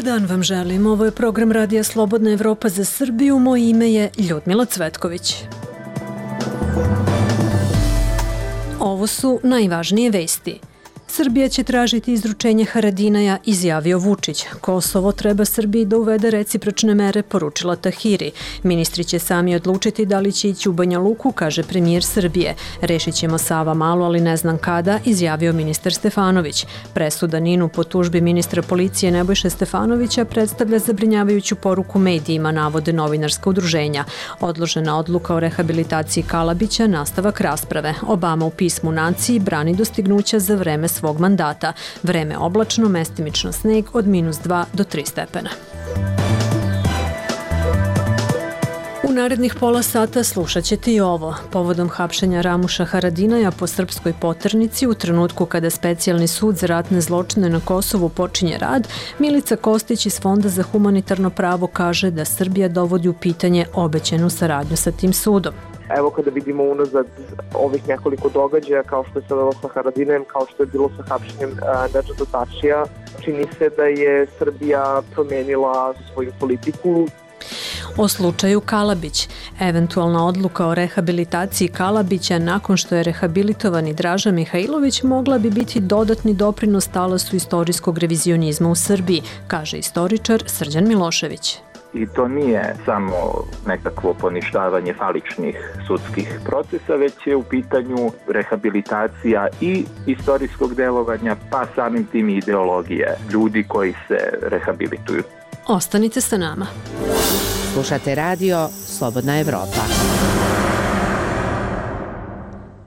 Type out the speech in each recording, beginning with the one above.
dan vam želim. Ovo je program Radija Slobodna Evropa za Srbiju. Moje ime je Ljudmila Cvetković. Ovo su najvažnije vesti. Srbija će tražiti izručenje Haradinaja, izjavio Vučić. Kosovo treba Srbiji da uvede recipročne mere, poručila Tahiri. Ministri će sami odlučiti da li će ići u Banja Luku, kaže premijer Srbije. Rešit ćemo Sava Malu, ali ne znam kada, izjavio ministar Stefanović. Presuda Ninu po tužbi ministra policije Nebojše Stefanovića predstavlja zabrinjavajuću poruku medijima, navode novinarska udruženja. Odložena odluka o rehabilitaciji Kalabića, nastavak rasprave. Obama u pismu naciji brani dostignuća za vreme svog mandata. Vreme oblačno, mestimično sneg od -2 do 3 stepena. U narednih pola sata slušat ćete i ovo. Povodom hapšenja Ramuša Haradinaja po srpskoj poternici u trenutku kada Specijalni sud za ratne zločine na Kosovu počinje rad, Milica Kostić iz Fonda za humanitarno pravo kaže da Srbija dovodi u pitanje obećanu saradnju sa tim sudom. Evo kada vidimo unazad ovih nekoliko događaja, kao što je sada sa Haradinajem, kao što je bilo sa hapšenjem Nedžada Tačija, čini se da je Srbija promenila svoju politiku. O slučaju Kalabić. Eventualna odluka o rehabilitaciji Kalabića nakon što je rehabilitovani Draža Mihajlović mogla bi biti dodatni doprinos talasu istorijskog revizionizma u Srbiji, kaže istoričar Srđan Milošević. I to nije samo nekakvo poništavanje faličnih sudskih procesa, već je u pitanju rehabilitacija i istorijskog delovanja, pa samim tim i ideologije ljudi koji se rehabilituju. Ostanite sa nama. Slušate radio Slobodna Evropa.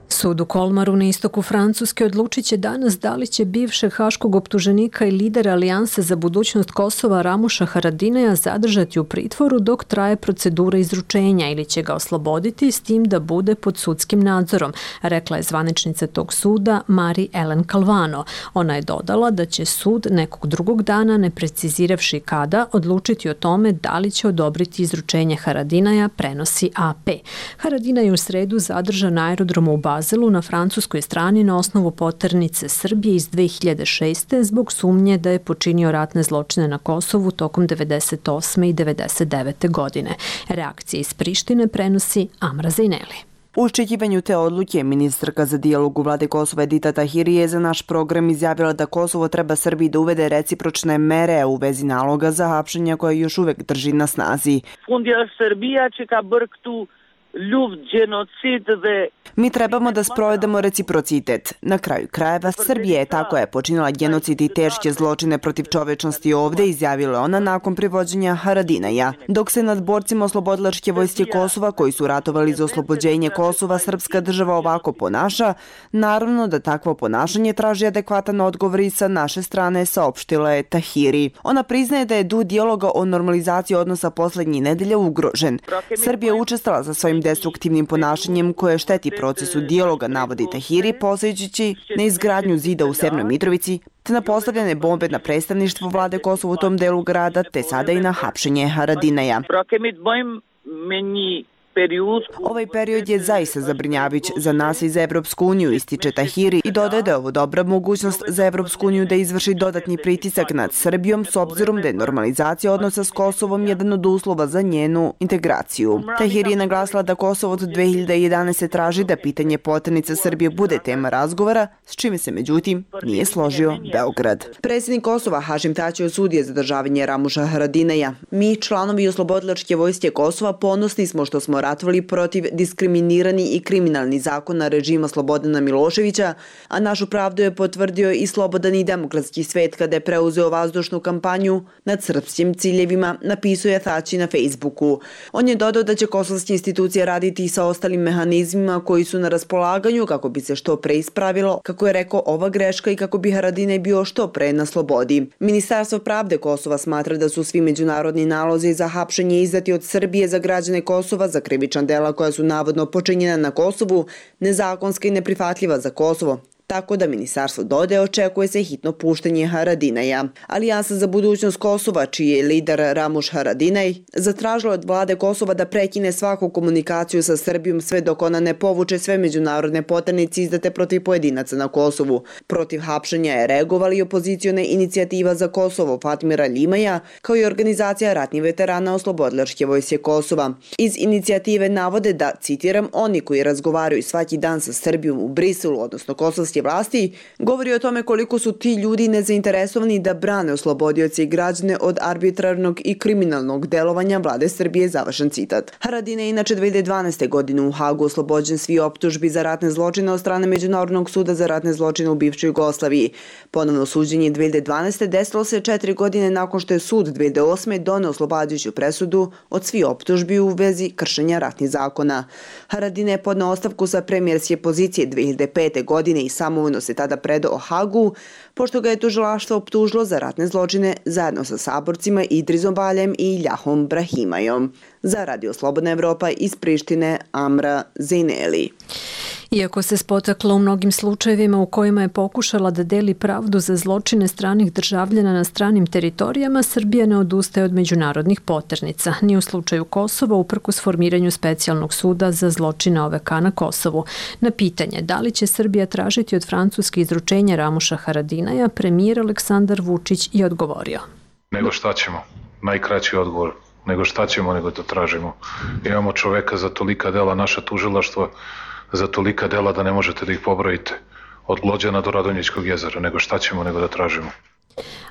Sud u Kolmaru na istoku Francuske odlučit će danas da li će bivšeg haškog optuženika i lidera Alijanse za budućnost Kosova Ramuša Haradinaja zadržati u pritvoru dok traje procedura izručenja ili će ga osloboditi s tim da bude pod sudskim nadzorom, rekla je zvaničnica tog suda Marie-Hélène Calvano. Ona je dodala da će sud nekog drugog dana, ne preciziravši kada, odlučiti o tome da li će odobriti izručenje Haradinaja, prenosi AP. Haradinaj je u sredu zadržan na aerodromu u Bazelu na francuskoj strani na osnovu poternice Srbije iz 2006. zbog sumnje da je počinio ratne zločine na Kosovu tokom 98. i 99. godine. Reakcije iz Prištine prenosi Amra Zejneli. U očekivanju te odluke, ministarka za dijalog u vlade Kosova Edita Tahiri je za naš program izjavila da Kosovo treba Srbiji da uvede recipročne mere u vezi naloga za hapšenja koje još uvek drži na snazi. Mi trebamo da sprovedemo reciprocitet. Na kraju krajeva, Srbija je ta koja je počinila genocid i teške zločine protiv čovečnosti ovde, izjavila ona nakon privođenja Haradinaja. Dok se nad borcima oslobodilačke vojske Kosova, koji su ratovali za oslobođenje Kosova, srpska država ovako ponaša, naravno da takvo ponašanje traži adekvatan odgovor i sa naše strane, saopštila je Tahiri. Ona priznaje da je dug dijaloga o normalizaciji odnosa poslednjih nedelja ugrožen. Srbija je učestala za svojim destruktivnim ponašanjem koje šteti procesu dijaloga, navodi Tahiri, posljeđući na izgradnju zida u Severnoj Mitrovici, te na postavljene bombe na predstavništvo vlade Kosova u tom delu grada, te sada i na hapšenje Haradinaja. Ovaj period je zaista zabrinjavajuć za nas i za Evropsku uniju, ističe Tahiri i dodaje da je ovo dobra mogućnost za Evropsku uniju da izvrši dodatni pritisak nad Srbijom s obzirom da je normalizacija odnosa s Kosovom jedan od uslova za njenu integraciju. Tahiri je naglasila da Kosovo od 2011. traži da pitanje poternice Srbije bude tema razgovora, s čime se međutim nije složio Beograd. Predsjednik Kosova Hašim Tači osudio zadržavanje Ramuša Haradinaja. Mi, članovi oslobodilačke vojske Kosova, ponosni smo što smo ratovali protiv diskriminirani i kriminalni zakona režima Slobodana Miloševića, a našu pravdu je potvrdio i slobodan i demokratski svet kada je preuzeo vazdušnu kampanju nad srpskim ciljevima, napisao je Tači na Facebooku. On je dodao da će kosovske institucije raditi i sa ostalim mehanizmima koji su na raspolaganju kako bi se što pre ispravilo, kako je rekao, ova greška i kako bi Haradinaj bio što pre na slobodi. Ministarstvo pravde Kosova smatra da su svi međunarodni nalozi za hapšenje izdati od Srbije za građane Kosova za krivična dela koja su navodno počinjena na Kosovu nezakonska i neprihvatljiva za Kosovo. tako da Ministarstvo dode očekuje se hitno puštenje Haradinaja. Alijansa za budućnost Kosova, čiji je lider Ramuš Haradinaj, zatražila od vlade Kosova da prekine svaku komunikaciju sa Srbijom sve dok ona ne povuče sve međunarodne poternice izdate protiv pojedinaca na Kosovu. Protiv hapšenja je reagovali i opozicione inicijativa za Kosovo Fatmira Limaja, kao i organizacija ratnih veterana Oslobodilačke vojske Kosova. Iz inicijative navode da, citiram, oni koji razgovaraju svaki dan sa Srbijom u Briselu, odnosno kosovske vlasti, govori o tome koliko su ti ljudi nezainteresovani da brane oslobodioce i građane od arbitrarnog i kriminalnog delovanja vlade Srbije, završen citat. Haradinaj je inače 2012. godine u Hagu oslobođen svi optužbi za ratne zločine od strane Međunarodnog suda za ratne zločine u bivšoj Jugoslaviji. Ponovno suđenje 2012. desilo se 4 godine nakon što je sud 2008. doneo oslobađajuću presudu od svih optužbi u vezi kršenja ratnih zakona. Haradinaj je podneo ostavku sa premijerske pozicije 2005. godine i samovoljno se tada predao Hagu, pošto ga je tužilaštvo optužilo za ratne zločine zajedno sa saborcima Idrizom Baljem i Iljahom Brahimajom. Za Radio Slobodna Evropa iz Prištine, Amra Zejneli. Iako se spotakla u mnogim slučajevima u kojima je pokušala da deli pravdu za zločine stranih državljana na stranim teritorijama, Srbija ne odustaje od međunarodnih poternica, ni u slučaju Kosova uprkos formiranju specijalnog suda za zločine OVK na Kosovu. Na pitanje da li će Srbija tražiti od Francuske izručenje Ramuša Haradinaja, premijer Aleksandar Vučić je odgovorio. Nego šta ćemo? Najkraći odgovor. Nego šta ćemo, nego to tražimo. Imamo čoveka za tolika dela, naša tužilaštva za tolika dela da ne možete da ih pobrojite. Od Glođana do Radonjićkog jezera. Nego šta ćemo, nego da tražimo.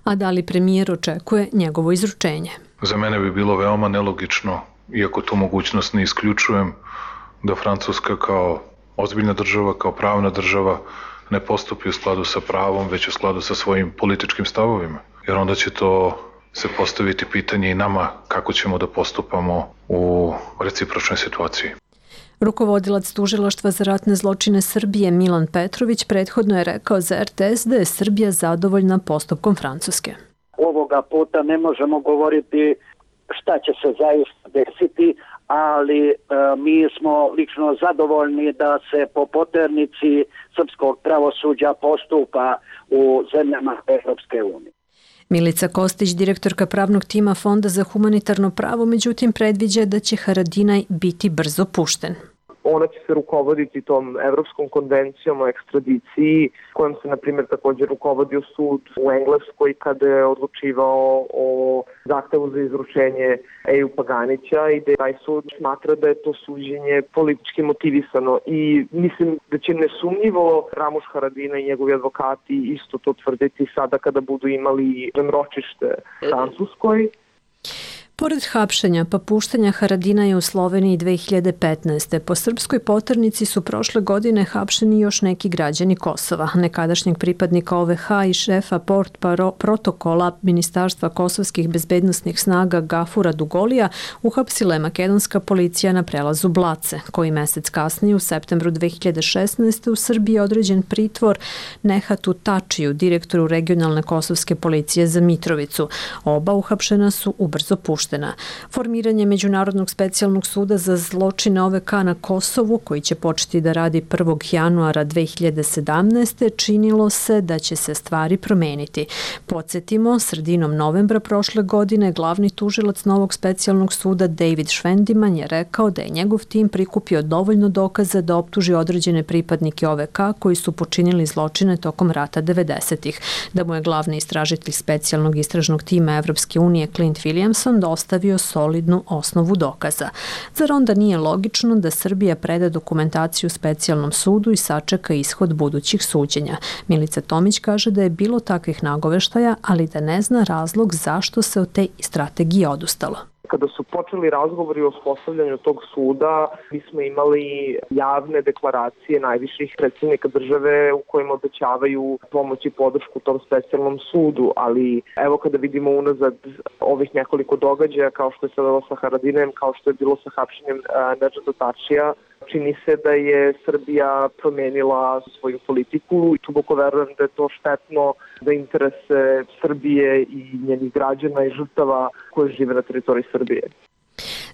A da li premijer očekuje njegovo izručenje? Za mene bi bilo veoma nelogično, iako tu mogućnost ne isključujem, da Francuska kao ozbiljna država, kao pravna država ne postupi u skladu sa pravom, već u skladu sa svojim političkim stavovima. Jer onda će to se postaviti pitanje i nama kako ćemo da postupamo u recipročnoj situaciji. Rukovodilac tužilaštva za ratne zločine Srbije Milan Petrović prethodno je rekao za RTS da je Srbija zadovoljna postupkom Francuske. Ovoga puta ne možemo govoriti šta će se zaista desiti, ali mi smo lično zadovoljni da se po poternici srpskog pravosuđa postupa u zemljama Evropske unije. Milica Kostić, direktorka pravnog tima Fonda za humanitarno pravo, međutim predviđa da će Haradinaj biti brzo pušten. Ona će se rukovoditi tom Evropskom konvencijom o ekstradiciji, kojom se, na primjer, također rukovodio sud u Engleskoj kada je odlučivao o zahtevu za izručenje Eju Paganića i da taj sud smatra da je to suđenje politički motivisano. I mislim da će nesumnjivo Ramuš Haradinaj i njegovi advokati isto to tvrditi sada kada budu imali ročište Francuskoj. Pored hapšenja pa puštanja Haradinaja u Sloveniji 2015. po srpskoj poternici su prošle godine hapšeni još neki građani Kosova. Nekadašnjeg pripadnika OVK i šefa protokola Ministarstva kosovskih bezbednosnih snaga Gafura Dugolija uhapsila je makedonska policija na prelazu Blace, koji mesec kasnije u septembru 2016. u Srbiji je određen pritvor Nehatu Tačiju, direktoru regionalne kosovske policije za Mitrovicu. Oba uhapšena su ubrzo puštena. Formiranje Međunarodnog specijalnog suda za zločine OVK na Kosovu, koji će početi da radi 1. januara 2017. činilo se da će se stvari promeniti. Podsjetimo, sredinom novembra prošle godine glavni tužilac novog specijalnog suda David Švendiman je rekao da je njegov tim prikupio dovoljno dokaza da optuži određene pripadnike OVK koji su počinili zločine tokom rata 90-ih. Da mu je glavni istražitelj specijalnog istražnog tima Evropske unije Clint Williamson ostavio solidnu osnovu dokaza. Zar onda nije logično da Srbija preda dokumentaciju specijalnom sudu i sačeka ishod budućih suđenja? Milica Tomić kaže da je bilo takvih nagoveštaja, ali da ne zna razlog zašto se od te strategije odustalo. Kada su počeli razgovori o uspostavljanju tog suda, mi smo imali javne deklaracije najviših predsjednika države u kojima obećavaju pomoć i podršku tom specijalnom sudu, ali evo kada vidimo unazad ovih nekoliko događaja, kao što je se bilo sa Haradinajem, kao što je bilo sa hapšenjem Nedžada Tačija, čini se da je Srbija promenila svoju politiku i duboko verujem da je to štetno za interese Srbije i njenih građana i žrtava koje žive na teritoriji Srbije.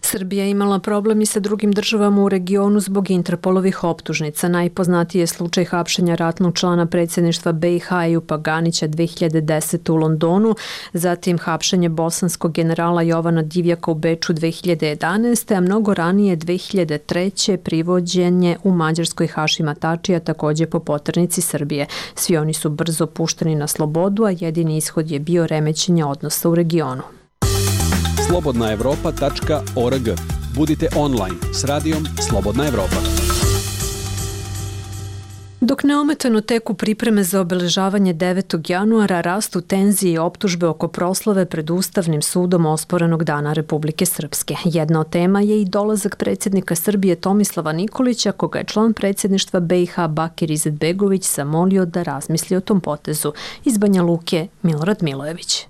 Srbija je imala problem i sa drugim državama u regionu zbog Interpolovih optužnica. Najpoznatiji je slučaj hapšenja ratnog člana predsjedništva BiH Ejupa Ganića 2010. u Londonu, zatim hapšenje bosanskog generala Jovana Divjaka u Beču 2011. a mnogo ranije 2003. privođenje u Mađarskoj Hašima Tačija, također po poternici Srbije. Svi oni su brzo pušteni na slobodu, a jedini ishod je bio remećenje odnosa u regionu. slobodnaevropa.org. Budite online s radijom Slobodna Evropa. Dok neometano teku pripreme za obeležavanje 9. januara, rastu tenzije i optužbe oko proslave pred Ustavnim sudom osporenog Dana Republike Srpske. Jedna od tema je i dolazak predsjednika Srbije Tomislava Nikolića, koga je član predsjedništva BiH Bakir Izetbegović zamolio da razmisli o tom potezu. Iz Banja Luke, Milorad Milojević.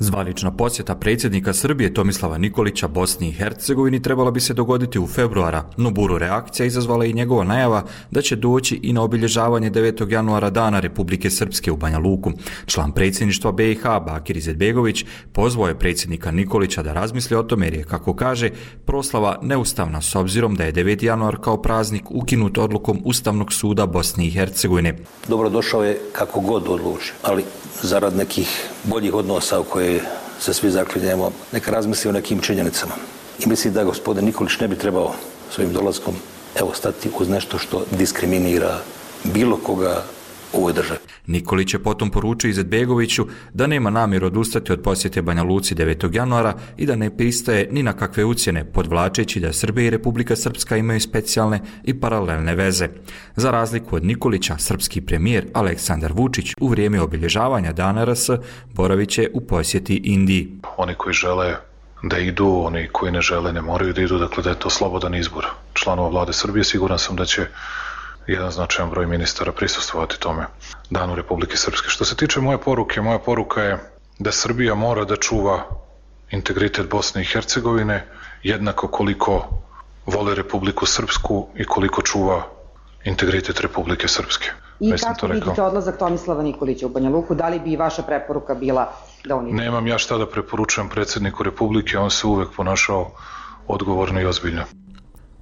Zvanična posjeta predsjednika Srbije Tomislava Nikolića Bosni i Hercegovini trebala bi se dogoditi u februara, no buru reakcija izazvala i njegova najava da će doći i na obilježavanje 9. januara Dana Republike Srpske u Banja Luku. Član predsjedništva BiH Bakir Izetbegović pozvao je predsjednika Nikolića da razmisli o tome jer je, kako kaže, proslava neustavna s obzirom da je 9. januar kao praznik ukinut odlukom Ustavnog suda Bosne i Hercegovine. Dobrodošao je kako god odluči, ali zarad nekih boljih odnosa u koje se svi zaklinjemo, neka razmisli o nekim činjenicama. I mislim da gospodin Nikolić ne bi trebao svojim dolaskom stati uz nešto što diskriminira bilo koga u ovoj državi. Nikolić je potom poručio Izetbegoviću da nema namjeru odustati od posjete Banja Luci 9. januara i da ne pristaje ni na kakve ucjene, podvlačeći da Srbija i Republika Srpska imaju specijalne i paralelne veze. Za razliku od Nikolića, srpski premijer Aleksandar Vučić u vrijeme obilježavanja Dana RS boravit će u posjeti Indiji. Oni koji žele da idu, oni koji ne žele ne moraju da idu, dakle da je to slobodan izbor članova vlade Srbije. Siguran sam da će jedan značajan broj ministara prisustvovati tome Danu Republike Srpske. Što se tiče moja poruka je da Srbija mora da čuva integritet Bosne i Hercegovine jednako koliko vole Republiku Srpsku i koliko čuva integritet Republike Srpske. I kako vidite odlazak Tomislava Nikolića u Banja Luku? Da li bi vaša preporuka bila da on ide? Nemam ja šta da preporučujem predsjedniku Republike, on se uvek ponašao odgovorno i ozbiljno.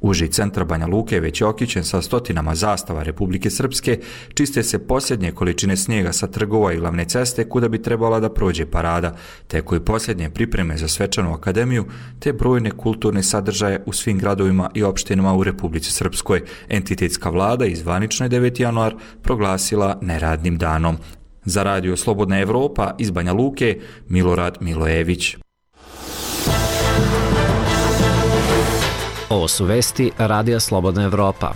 Uži centar Banja Luke već je okićen sa stotinama zastava Republike Srpske, čiste se posljednje količine snijega sa trgova i glavne ceste kuda bi trebala da prođe parada, teku i posljednje pripreme za svečanu akademiju, te brojne kulturne sadržaje u svim gradovima i opštinama u Republici Srpskoj. Entitetska vlada i zvanično je 9. januar proglasila neradnim danom. Za radio Slobodna Evropa iz Banja Luke, Milorad Milojević. Ovo su vesti Radija Slobodna Evropa.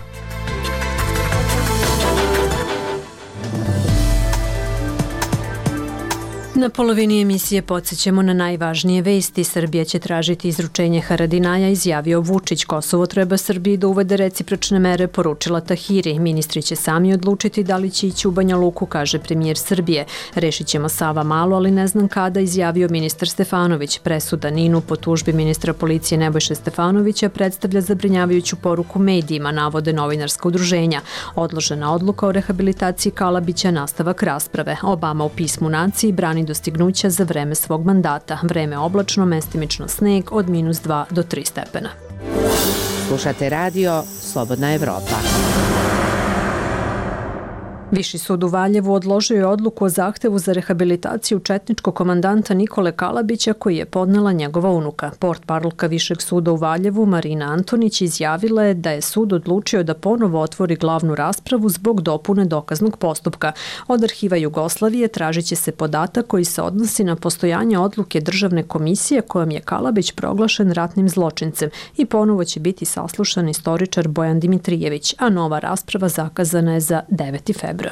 Na polovini emisije podsjećamo na najvažnije vesti. Srbija će tražiti izručenje Haradinaja, izjavio Vučić. Kosovo treba Srbiji da uvede recipročne mere, poručila Tahiri. Ministri će sami odlučiti da li će ići u Banja Luku, kaže premijer Srbije. Rešit ćemo Sava malo, ali ne znam kada, izjavio ministar Stefanović. Presuda Ninu po tužbi ministra policije Nebojše Stefanovića predstavlja zabrinjavajuću poruku medijima, navode novinarska udruženja. Odložena odluka o rehabilitaciji Kalabića, nastavak rasprave. Obama u pismu naciji brani dostignuća za vreme svog mandata. Vreme oblačno, mestimično sneg od -2 do 3 stepena. Slušate radio Slobodna Evropa. Viši sud u Valjevu odložio je odluku o zahtevu za rehabilitaciju četničkog komandanta Nikole Kalabića koji je podnela njegova unuka. Portparolka Višeg suda u Valjevu Marina Antonić izjavila je da je sud odlučio da ponovo otvori glavnu raspravu zbog dopune dokaznog postupka. Od arhiva Jugoslavije tražit će se podatak koji se odnosi na postojanje odluke državne komisije kojom je Kalabić proglašen ratnim zločincem i ponovo će biti saslušan istoričar Bojan Dimitrijević, a nova rasprava zakazana je za 9. februar.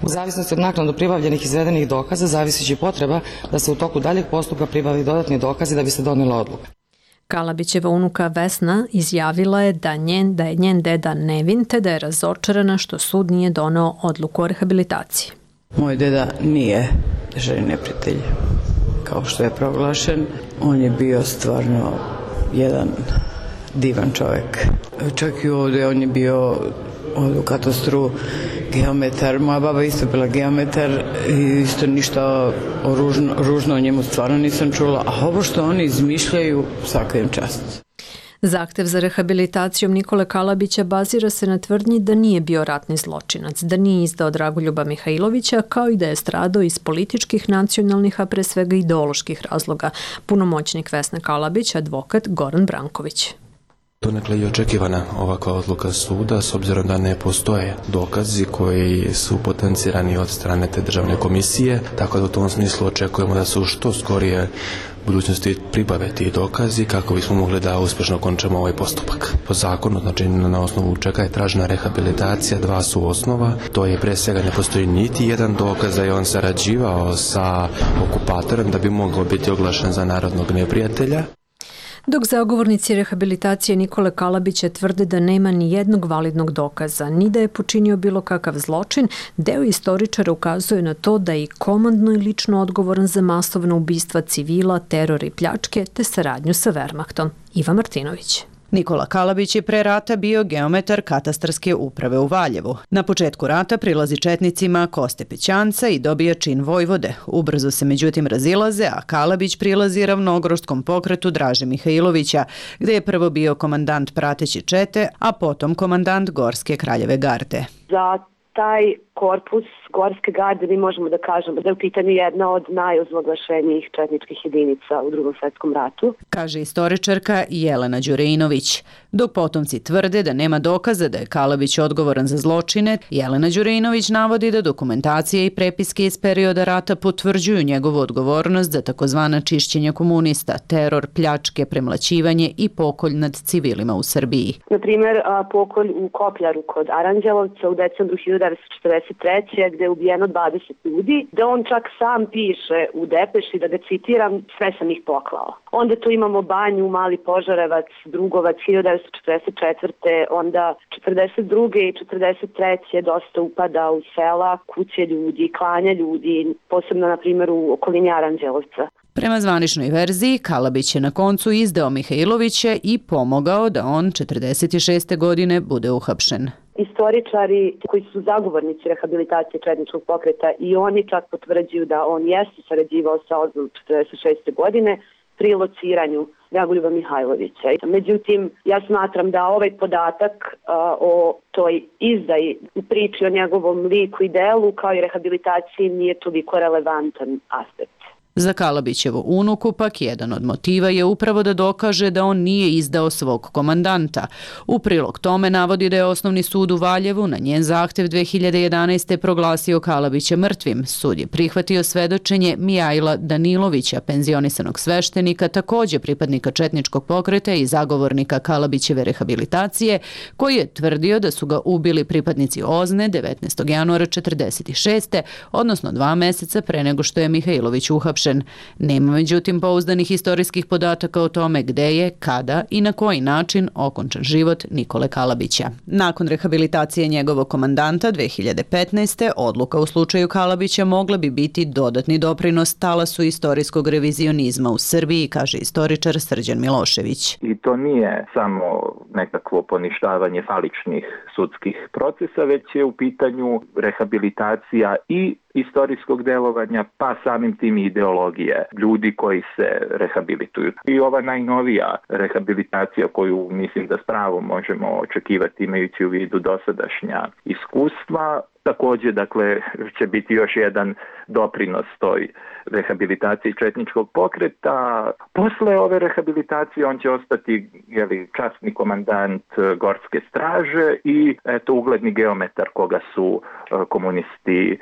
U zavisnosti od naknadno pribavljenih izvedenih dokaza zavisići potreba da se u toku daljeg postupka pribavi dodatni dokazi da bi se donela odluka. Kalabićeva unuka Vesna izjavila je da je njen deda nevin te da je razočarana što sud nije doneo odluku o rehabilitaciji. Moj deda nije državni neprijatelj kao što je proglašen. On je bio stvarno jedan divan čovjek. Čak i ovdje on je bio u katastru geometar, moja baba isto bila geometar i isto ništa ružno o njemu stvarno nisam čula, a ovo što oni izmišljaju, svaka im čast. Zahtev za rehabilitacijom Nikole Kalabića bazira se na tvrdnji da nije bio ratni zločinac, da nije izdao Dragoljuba Mihajlovića, kao i da je stradao iz političkih, nacionalnih, a pre svega ideoloških razloga. Punomoćnik Vesne Kalabić, advokat Goran Branković. Donekle je očekivana ovakva odluka suda, s obzirom da ne postoje dokazi koji su potencirani od strane te državne komisije, tako da u tom smislu očekujemo da su što skorije budućnosti pribave ti dokazi kako bismo mogli da uspješno končamo ovaj postupak. Po zakonu, znači na osnovu čega je tražena rehabilitacija, dva su osnova. To je pre svega ne postoji niti jedan dokaz da je on sarađivao sa okupatorem da bi mogao biti oglašen za narodnog neprijatelja. Dok zagovornici rehabilitacije Nikole Kalabića tvrde da nema ni jednog validnog dokaza, ni da je počinio bilo kakav zločin, deo istoričara ukazuje na to da je i komandno i lično odgovoran za masovna ubistva civila, teror i pljačke, te saradnju sa Wehrmachtom. Iva Martinović. Nikola Kalabić je pre rata bio geometar katastarske uprave u Valjevu. Na početku rata prilazi četnicima Koste Pećanca i dobija čin vojvode. Ubrzo se međutim razilaze, a Kalabić prilazi ravnogrodskom pokretu Draže Mihajlovića, gde je prvo bio komandant prateće čete, a potom komandant Gorske kraljeve garde. Za taj korpus Gorske garde mi možemo da kažemo da je u pitanju jedna od najozloglašenijih četničkih jedinica u Drugom svjetskom ratu. Kaže istoričarka Jelena Đurinović. Dok potomci tvrde da nema dokaza da je Kalabić odgovoran za zločine, Jelena Đurinović navodi da dokumentacije i prepiske iz perioda rata potvrđuju njegovu odgovornost za takozvana čišćenja komunista, teror, pljačke, premlaćivanje i pokolj nad civilima u Srbiji. Na primjer, pokolj u Kopljaru kod Aranđelovca u decembru 1943. gde je ubijeno 20 ljudi, da on čak sam piše u depeši, da ga citiram, sve sam ih poklao. Onda tu imamo Banju, Mali Požarevac, Drugovac, 1944. Onda 42. i 43. dosta upada u sela, kuće ljudi, klanja ljudi, posebno na primjer u okolini Aranđelovca. Prema zvaničnoj verziji, Kalabić je na koncu izdao Mihajlovića i pomogao da on 46. godine bude uhapšen. Istoričari koji su zagovornici rehabilitacije četničkog pokreta i oni čak potvrđuju da on jeste sarađivao sa OZNOM 46. godine pri lociranju Dragoljuba Mihajlovića. Međutim, ja smatram da ovaj podatak o toj izdaji u priči o njegovom liku i delu kao i rehabilitaciji nije toliko relevantan aspekt. Za Kalabićevu unuku pak jedan od motiva je upravo da dokaže da on nije izdao svog komandanta. U prilog tome navodi da je Osnovni sud u Valjevu na njen zahtev 2011. proglasio Kalabića mrtvim. Sud je prihvatio svedočenje Mijajla Danilovića, penzionisanog sveštenika, također pripadnika četničkog pokreta i zagovornika Kalabićeve rehabilitacije, koji je tvrdio da su ga ubili pripadnici OZNE 19. januara 1946. odnosno 2 meseca pre nego što je Mihajlović uhapšen. Nema međutim pouzdanih istorijskih podataka o tome gde je, kada i na koji način okončan život Nikole Kalabića. Nakon rehabilitacije njegovog komandanta 2015. odluka u slučaju Kalabića mogla bi biti dodatni doprinos talasu istorijskog revizionizma u Srbiji, kaže istoričar Srđan Milošević. I to nije samo nekakvo poništavanje faličnih sudskih procesa, već je u pitanju rehabilitacija i istorijskog delovanja, pa samim tim i ideologije ljudi koji se rehabilituju. I ova najnovija rehabilitacija koju mislim da s pravom možemo očekivati imajući u vidu dosadašnja iskustva, također dakle će biti još jedan doprinos toj rehabilitaciji četničkog pokreta. Posle ove rehabilitacije on će ostati časni komandant Gorske straže i ugledni geometar koga su komunisti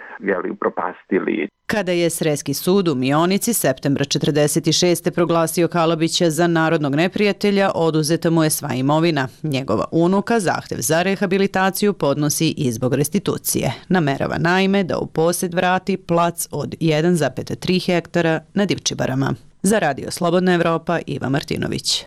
upropastili. Kada je Sreski sud u Mionici septembra 1946. proglasio Kalabića za narodnog neprijatelja, oduzeta mu je sva imovina. Njegova unuka zahtev za rehabilitaciju podnosi i zbog restitucije. Namerava naime da u posjed vrati plac od 1,3 hektara na Divčibarama. Za Radio Slobodna Evropa, Iva Martinović.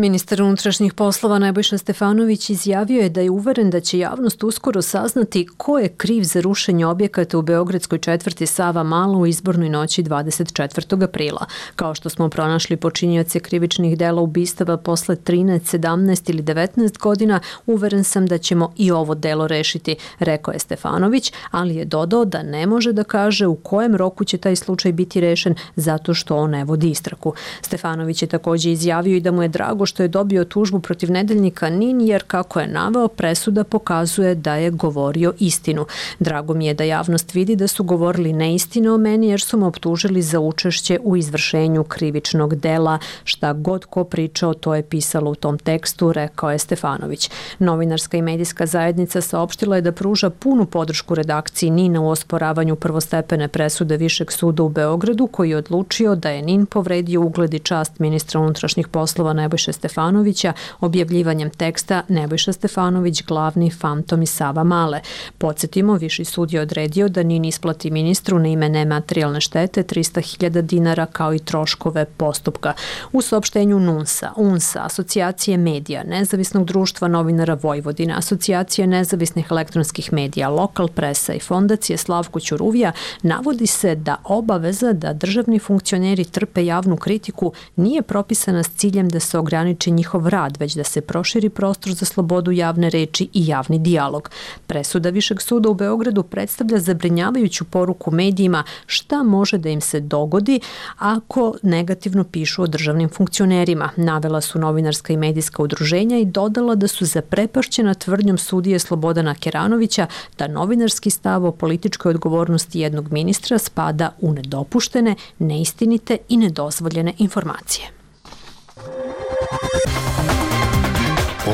Ministar unutrašnjih poslova Nebojša Stefanović izjavio je da je uveren da će javnost uskoro saznati ko je kriv za rušenje objekata u beogradskoj četvrti Sava Mala u izbornoj noći 24. aprila. Kao što smo pronašli počinioce krivičnih dela ubistava posle 13, 17 ili 19 godina, uveren sam da ćemo i ovo delo rešiti, rekao je Stefanović, ali je dodao da ne može da kaže u kojem roku će taj slučaj biti rešen zato što on ne vodi istragu. Stefanović je također izjavio i da mu je drago što je dobio tužbu protiv nedeljnika NIN jer, kako je naveo, presuda pokazuje da je govorio istinu. Drago mi je da javnost vidi da su govorili neistine o meni jer su me optužili za učešće u izvršenju krivičnog dela. Šta god ko pričao, to je pisalo u tom tekstu, rekao je Stefanović. Novinarska i medijska zajednica saopštila je da pruža punu podršku redakciji NIN-a u osporavanju prvostepene presude Višeg suda u Beogradu, koji je odlučio da je NIN povredio ugled i čast ministra unutrašnjih poslova Nebojše Stefanovića objavljivanjem teksta Nebojša Stefanović, glavni fantom iz Sava Male. Podsjetimo, Viši sud je odredio da NIN isplati ministru na ime nematerijalne štete 300.000 dinara kao i troškove postupka. U saopštenju NUNS-a, UNS-a, Asocijacije medija, Nezavisnog društva novinara Vojvodine, Asocijacije nezavisnih elektronskih medija, Lokal presa i Fondacije Slavko Ćuruvija navodi se da obaveza da državni funkcioneri trpe javnu kritiku nije propisana s ciljem da se ograniči njihov rad, već da se proširi prostor za slobodu javne reči i javni dijalog. Presuda Višeg suda u Beogradu predstavlja zabrinjavajuću poruku medijima šta može da im se dogodi ako negativno pišu o državnim funkcionerima. Navela su novinarska i medijska udruženja i dodala da su zaprepašćena tvrdnjom sudije Slobodana Keranovića da novinarski stav o političkoj odgovornosti jednog ministra spada u nedopuštene, neistinite i nedozvoljene informacije.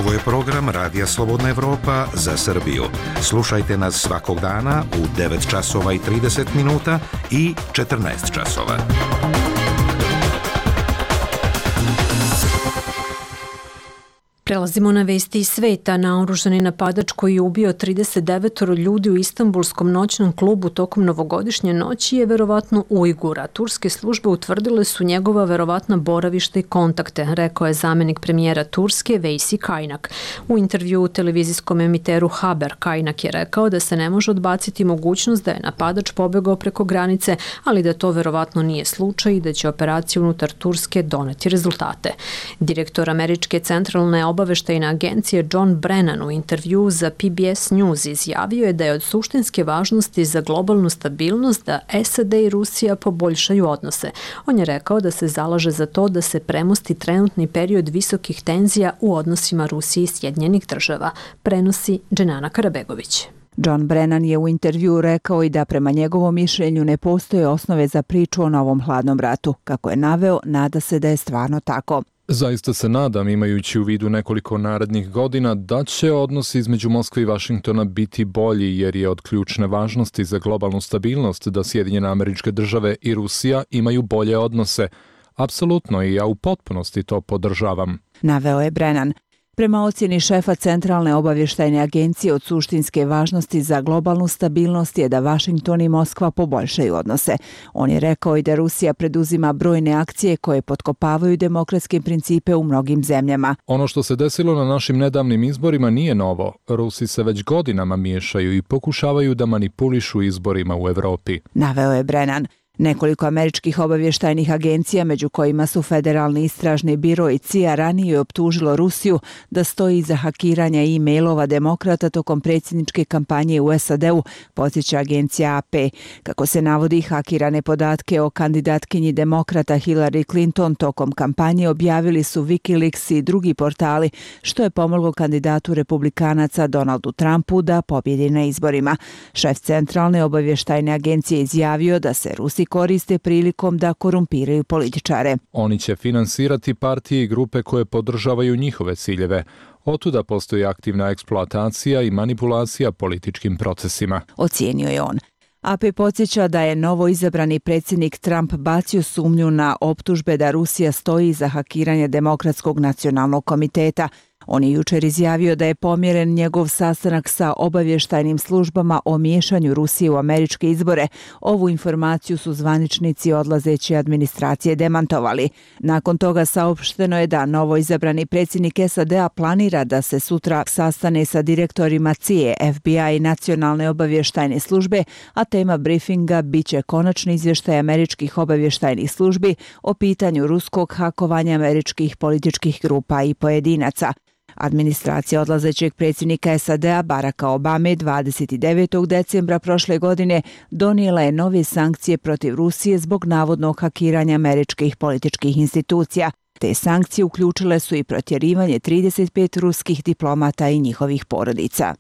Ovo je program Radija Slobodna Evropa za Srbiju. Slušajte nas svakog dana u 9 časova i 30 minuta i 14 časova. Prelazimo na vesti iz sveta. Naoružani napadač koji je ubio 39 ljudi u Istanbulskom noćnom klubu tokom novogodišnje noći je verovatno Ujgur, a turske službe utvrdile su njegova verovatna boravišta i kontakte, rekao je zamenik premijera Turske Vejsi Kajnak. U intervju u televizijskom emiteru Haber, Kajnak je rekao da se ne može odbaciti mogućnost da je napadač pobegao preko granice, ali da to verovatno nije slučaj i da će operacija unutar Turske doneti rezultate. Direktor američke centralne obaveštajne agencije John Brennan u intervju za PBS News izjavio je da je od suštinske važnosti za globalnu stabilnost da SAD i Rusija poboljšaju odnose. On je rekao da se zalaže za to da se premosti trenutni period visokih tenzija u odnosima Rusije i Sjedinjenih država, prenosi Dženana Karabegović. John Brennan je u intervju rekao i da prema njegovom mišljenju ne postoje osnove za priču o novom hladnom ratu. Kako je naveo, nada se da je stvarno tako. Zaista se nadam, imajući u vidu nekoliko narednih godina, da će odnos između Moskve i Vašingtona biti bolji, jer je od ključne važnosti za globalnu stabilnost da Sjedinjene Američke Države i Rusija imaju bolje odnose. Apsolutno, i ja u potpunosti to podržavam. Naveo je Brennan. Prema ocjeni šefa Centralne obavještajne agencije od suštinske važnosti za globalnu stabilnost je da Vašington i Moskva poboljšaju odnose. On je rekao i da Rusija preduzima brojne akcije koje potkopavaju demokratske principe u mnogim zemljama. Ono što se desilo na našim nedavnim izborima nije novo. Rusi se već godinama miješaju i pokušavaju da manipulišu izborima u Evropi. Naveo je Brennan. Nekoliko američkih obavještajnih agencija, među kojima su Federalni istražni biro i CIA, ranije je optužilo Rusiju da stoji iza hakiranja e-mailova demokrata tokom predsjedničke kampanje u SAD-u, podsjeća agencija AP. Kako se navodi, hakirane podatke o kandidatkinji demokrata Hillary Clinton tokom kampanje objavili su Wikileaks i drugi portali, što je pomoglo kandidatu republikanaca Donaldu Trumpu da pobjedi na izborima. Šef Centralne obavještajne agencije izjavio da se Rusi koriste prilikom da korumpiraju političare. Oni će finansirati partije i grupe koje podržavaju njihove ciljeve. Otuda postoji aktivna eksploatacija i manipulacija političkim procesima, ocijenio je on. AP podsjeća da je novo izabrani predsjednik Trump bacio sumnju na optužbe da Rusija stoji iza hakiranja Demokratskog nacionalnog komiteta. On je jučer izjavio da je pomjeren njegov sastanak sa obavještajnim službama o miješanju Rusije u američke izbore. Ovu informaciju su zvaničnici odlazeće administracije demantovali. Nakon toga saopšteno je da novoizabrani predsjednik SAD-a planira da se sutra sastane sa direktorima CIA, FBI i nacionalne obavještajne službe, a tema briefinga biće konačni izvještaj američkih obavještajnih službi o pitanju ruskog hakovanja američkih političkih grupa i pojedinaca. Administracija odlazećeg predsjednika SAD-a Baracka Obame 29. decembra prošle godine donijela je nove sankcije protiv Rusije zbog navodnog hakiranja američkih političkih institucija. Te sankcije uključile su i protjerivanje 35 ruskih diplomata i njihovih porodica.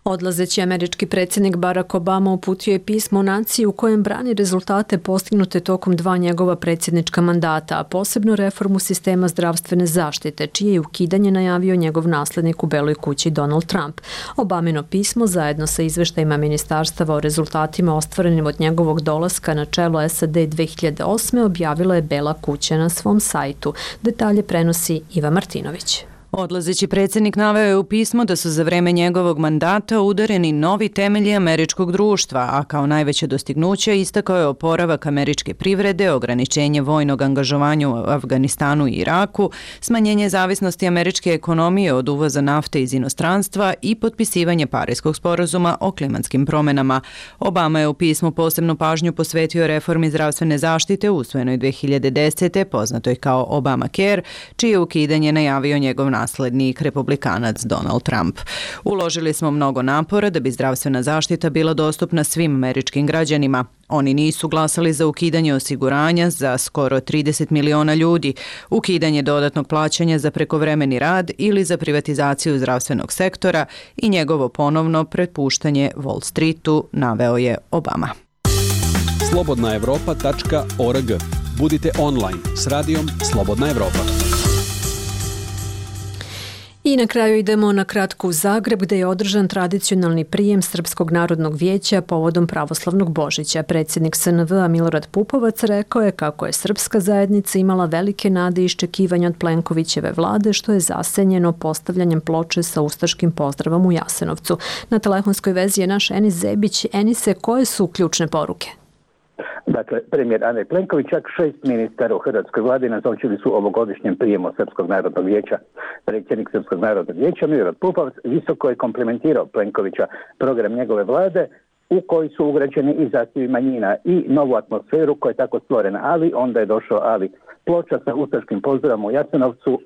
Odlazeći američki predsjednik Barack Obama uputio je pismo naciji u kojem brani rezultate postignute tokom 2 njegova predsjednička mandata, a posebno reformu sistema zdravstvene zaštite, čije je ukidanje najavio njegov naslednik u Beloj kući Donald Trump. Obamino pismo zajedno sa izveštajima ministarstava o rezultatima ostvarenim od njegovog dolaska na čelo SAD 2008. objavila je Bela kuća na svom sajtu. Detalje prenosi Iva Martinović. Odlazeći predsjednik naveo je u pismu da su za vreme njegovog mandata udareni novi temelji američkog društva, a kao najveće dostignuće istakao je oporavak američke privrede, ograničenje vojnog angažovanja u Afganistanu i Iraku, smanjenje zavisnosti američke ekonomije od uvoza nafte iz inostranstva i potpisivanje Pariskog sporazuma o klimatskim promjenama. Obama je u pismu posebnu pažnju posvetio reformi zdravstvene zaštite usvojenoj 2010. poznatoj kao Obamacare, čije ukidanje najavio njegov naslednik republikanac Donald Trump. Uložili smo mnogo napora da bi zdravstvena zaštita bila dostupna svim američkim građanima. Oni nisu glasali za ukidanje osiguranja za skoro 30 miliona ljudi, ukidanje dodatnog plaćanja za prekovremeni rad ili za privatizaciju zdravstvenog sektora i njegovo ponovno prepuštanje Wall Streetu, naveo je Obama. slobodnaevropa.org. Budite online s radijom Slobodna Evropa. I na kraju idemo na kratko u Zagreb, gdje je održan tradicionalni prijem Srpskog narodnog vijeća povodom pravoslavnog Božića. Predsjednik SNV-a Milorad Pupovac rekao je kako je srpska zajednica imala velike nade i iščekivanja od Plenkovićeve vlade, što je zasenjeno postavljanjem ploče sa ustaškim pozdravom u Jasenovcu. Na telefonskoj vezi je naš Enis Zebić. Enise, koje su ključne poruke? Dakle, premijer Andrej Plenković, čak 6 ministara u hrvatskoj vladi nazočili su ovogodišnjem prijemu Srpskog narodnog vijeća. Predsjednik Srpskog narodnog vijeća Milorad Pupovac visoko je komplimentirao Plenkovića program njegove vlade u koji su ugrađeni i zahtjevi manjina i novu atmosferu koja je tako stvorena, ali onda je došao ali. Ploča sa ustaškim pozdravom u Jasenovcu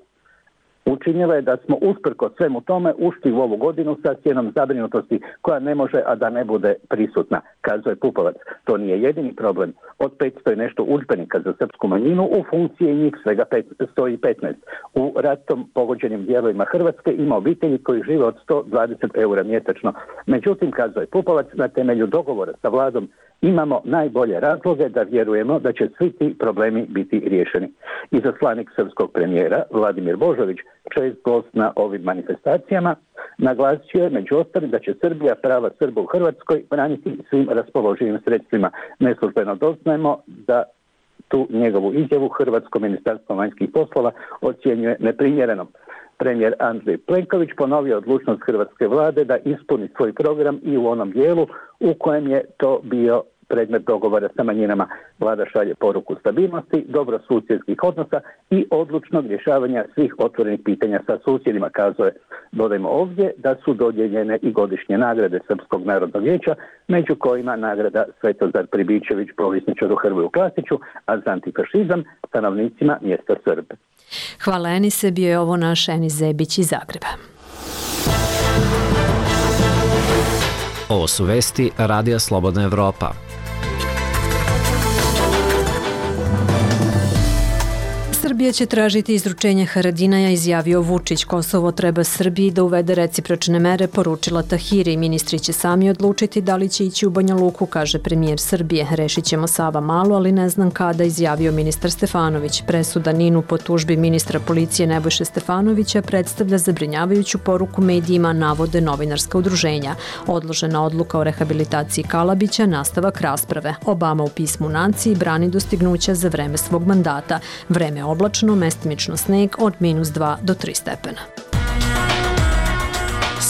učinila je da smo usprkos svemu tome ušli u ovu godinu sa cijenom zabrinutosti koja ne može, a da ne bude prisutna, kazao je Pupovac. To nije jedini problem. Od 500 i nešto udžbenika za srpsku manjinu u funkciji njih svega 115. U ratom pogođenim dijelovima Hrvatske ima obitelji koji žive od 120 eura mjesečno. Međutim, kazao je Pupovac, na temelju dogovora sa vladom imamo najbolje razloge da vjerujemo da će svi ti problemi biti riješeni. Izaslanik srpskog premijera Vladimir Božović, čest gost na ovim manifestacijama, naglasio je među ostalim da će Srbija prava Srba u Hrvatskoj braniti svim raspoloživim sredstvima. Neslužbeno doznajemo da tu njegovu izjavu Hrvatsko ministarstvo vanjskih poslova ocjenjuje neprimjerenom. Premijer Andrej Plenković ponovio odlučnost hrvatske vlade da ispuni svoj program i u onom dijelu u kojem je to bio predmet dogovora sa manjinama. Vlada šalje poruku stabilnosti, dobrosusjedskih odnosa i odlučnog rješavanja svih otvorenih pitanja sa susjedima, kazao je. Dodajmo ovdje da su dodijeljene i godišnje nagrade Srpskog narodnog vijeća, među kojima nagrada Svetozar Pribičević povjesničaru Hrvoju Klasiću, a za antifašizam stanovnicima mjesta Srbe. Hvala Enise, bio je ovo naš Enis Zebić iz Zagreba. Ovo su vesti Radija Slobodna Evropa. Srbija će tražiti izručenje Haradinaja, izjavio Vučić. Kosovo treba Srbiji da uvede recipročne mere, poručila Tahiri. Ministri će sami odlučiti da li će ići u Banja Luku, kaže premijer Srbije. Rešit ćemo Sava Malu, ali ne znam kada, izjavio ministar Stefanović. Presuda Ninu po tužbi ministra policije Nebojše Stefanovića predstavlja zabrinjavajuću poruku medijima, navode novinarska udruženja. Odložena odluka o rehabilitaciji Kalabića, nastavak rasprave. Obama u pismu naciji brani dostignuća za vreme svog mandata. Vreme oblačno, mestimično sneg od -2 do 3 stepena.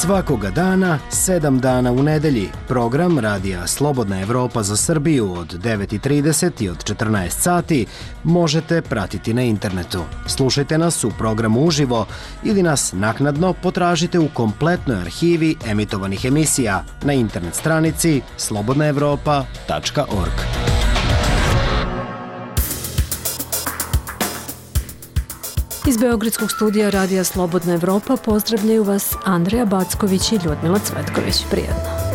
Svakoga dana, 7 dana u nedelji, program Radija Slobodna Evropa za Srbiju od 9:30 i od 14 sati možete pratiti na internetu. Slušajte nas u programu uživo ili nas naknadno potražite u kompletnoj arhivi emitovanih emisija na internet stranici slobodnaevropa.org. Iz Beogradskog studija Radija Slobodna Evropa pozdravljaju vas Andreja Backović i Ljudmila Cvetković. Prijetno.